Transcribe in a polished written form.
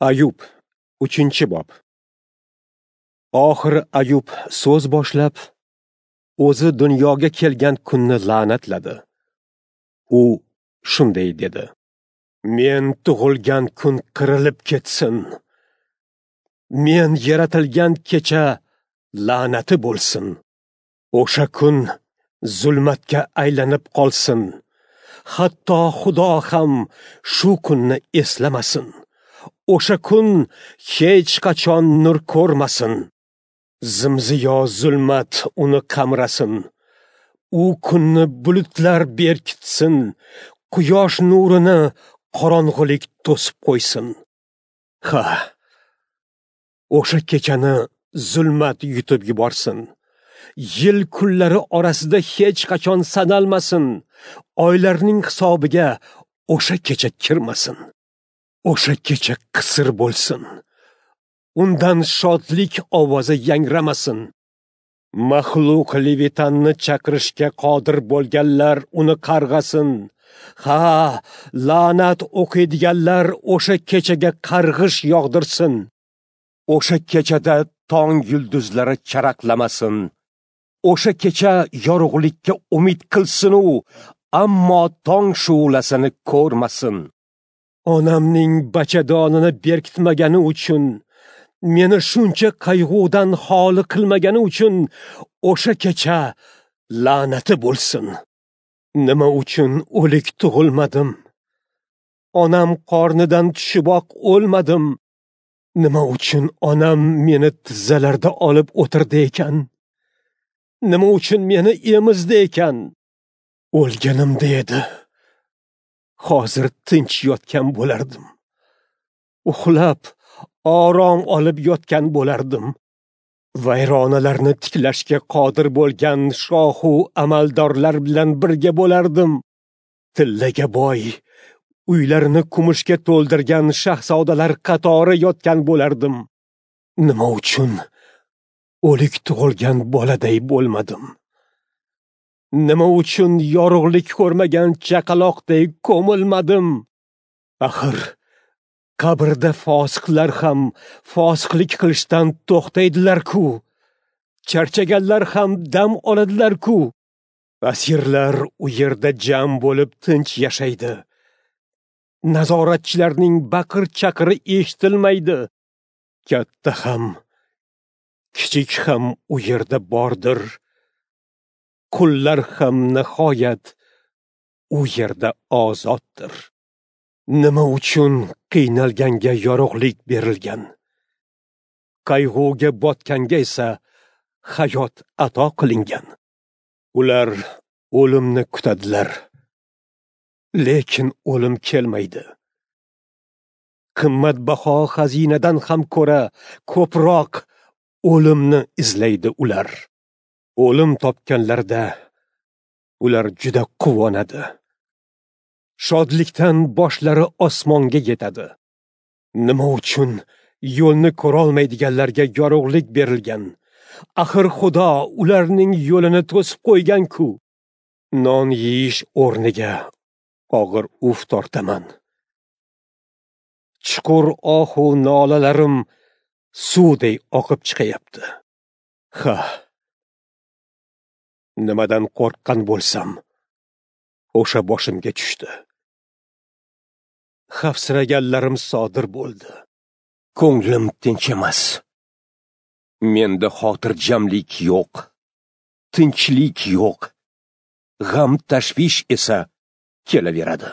Ayub, 3-bob. Oxiri Ayub so'z boshlab, o'zi dunyoga kelgan kunni la'natladi. U shunday dedi: Men tug'ilgan kun qirilib ketsin. Men yaratilgan kecha la'nati bo'lsin. O'sha kun zulmatga aylanib qolsin. Hatto Xudo ham shu kunni eslamasin. O'sha kun hech qachon nur ko'rmasin. Zimziyo zulmat uni qamrasin. U kunni bulutlar berkitsin. Quyosh nurini qorong'ulik to'sib qo'ysin. Ha, o'sha kechani zulmat yutib yuborsin. Yil kunlari orasida hech qachon sanalmasin. Oylarning hisobiga o'sha kecha kirmasin. O'sha kecha qisir bo'lsin. Undan shodlik ovozi yangramasin. Maxluq Levitanni chaqirishga qodir bo'lganlar uni qarg'asin. Ha, la'nat o'qiydiganlar o'sha kechaga qarg'ish yog'dirsin. O'sha kechada tong yulduzlari charaqlamasin. O'sha kecha yorug'likka umid qilsin u, ammo tong shu'lasini ko'rmasin. Onamning bachadonini berkitmagani uchun, meni shuncha qayg'udan xoli qilmagani uchun o'sha kecha la'nati bo'lsin. Nima uchun o'lik tug'ilmadim? Onam qornidan tushiboq o'lmadim. Nima uchun onam meni tizzalarda olib o'tirdi ekan? Nima uchun meni emizdi ekan? O'lganimda edi. Hozir tinch yotgan bo'lardim. Uxlab, orom olib yotgan bo'lardim. Vayronalarni tiklashga qodir bo'lgan shohu amaldorlar bilan birga bo'lardim. Tillaga boy, uylarini kumushga to'ldirgan shahzodalar qatori yotgan bo'lardim. Nima uchun o'lik tug'ilgan boladay bo'lmadim? Nima uchun yorug'lik ko'rmagan chaqaloqday ko'milmadim? Axir qabrda fosiqlar ham fosiqlik qilishdan to'xtaydilar-ku. Charchaganlar ham dam oladilar-ku. Asirlar u yerda jam bo'lib tinch yashaydi. Nazoratchilarning baqir-chaqiri eshitilmaydi. Katta ham, kichik ham u yerda bordir. Qullar ham nihoyat u yerda ozoddir. Nima uchun qiynalganga yorug'lik berilgan? Qayg'uga botganga esa hayot ato qilingan. Ular o'limni kutadilar, lekin o'lim kelmaydi. Qimmatbaho xazinadan ham ko'ra ko'proq o'limni izlaydi ular. O'lim topganlarda ular juda quvonadi. Shodlikdan boshlari osmonga yetadi. Nima uchun yo'lni ko'rolmaydiganlarga yorug'lik berilgan? Axir Xudo ularning yo'lini to'sib qo'ygan-ku. Non yeyish o'rniga og'ir uf tortaman. Chuqur ohu nolalarim suvday oqib chiqayapti. Ha, nimadan qo'rqqan bo'lsam, o'sha boshimga tushdi. Xavfsiraganlarim sodir bo'ldi. Ko'nglim tinch emas. Menda xotirjamlik yo'q, tinchlik yo'q. G'am tashvish esa kelaveradi.